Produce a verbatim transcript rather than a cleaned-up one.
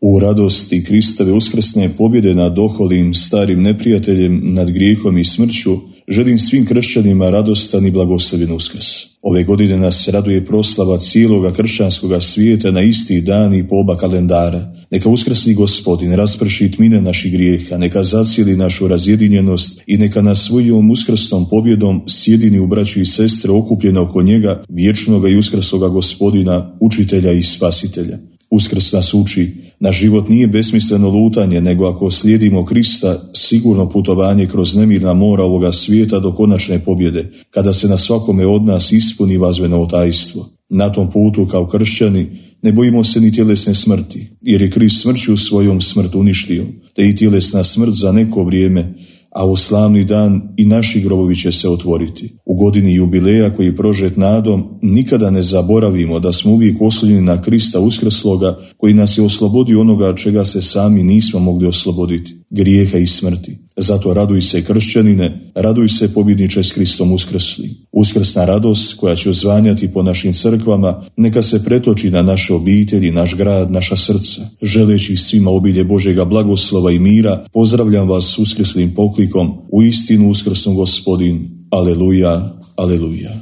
U radosti Kristove uskrsne pobjede nad oholim starim neprijateljem, nad grijehom i smrću, želim svim kršćanima radostan i blagoslovljen Uskrs. Ove godine nas raduje proslava cijeloga kršćanskoga svijeta na isti dan i po oba kalendara. Neka uskrsni Gospodin rasprši tmine naših grijeha, neka zacijeli našu razjedinjenost i neka nas svojom uskrsnom pobjedom sjedini u braću i sestre okupljene oko njega, vječnoga i uskrsloga Gospodina, učitelja i spasitelja. Uskrs nas uči, naš život nije besmisleno lutanje, nego ako slijedimo Krista, sigurno putovanje kroz nemirna mora ovoga svijeta do konačne pobjede, kada se na svakome od nas ispuni vazveno tajstvo. Na tom putu kao kršćani ne bojimo se ni tjelesne smrti, jer je Krist smrću svojom smrt uništio, te i tjelesna smrt za neko vrijeme, a u slavni dan i naši grobovi će se otvoriti. U godini jubileja koji je prožet nadom, nikada ne zaboravimo da smo uvijek oslonjeni na Krista uskrsloga, koji nas je oslobodio onoga čega se sami nismo mogli osloboditi, grijeha i smrti. Zato raduj se kršćanine, raduj se pobjedniče s Kristom uskrslim. Uskrsna radost koja će odzvanjati po našim crkvama, neka se pretoči na naše obitelji, naš grad, naša srca. Želeći svima obilje Božjega blagoslova i mira, pozdravljam vas s uskrslim poklikom, u istinu uskrsnu Gospodin. Aleluja, aleluja.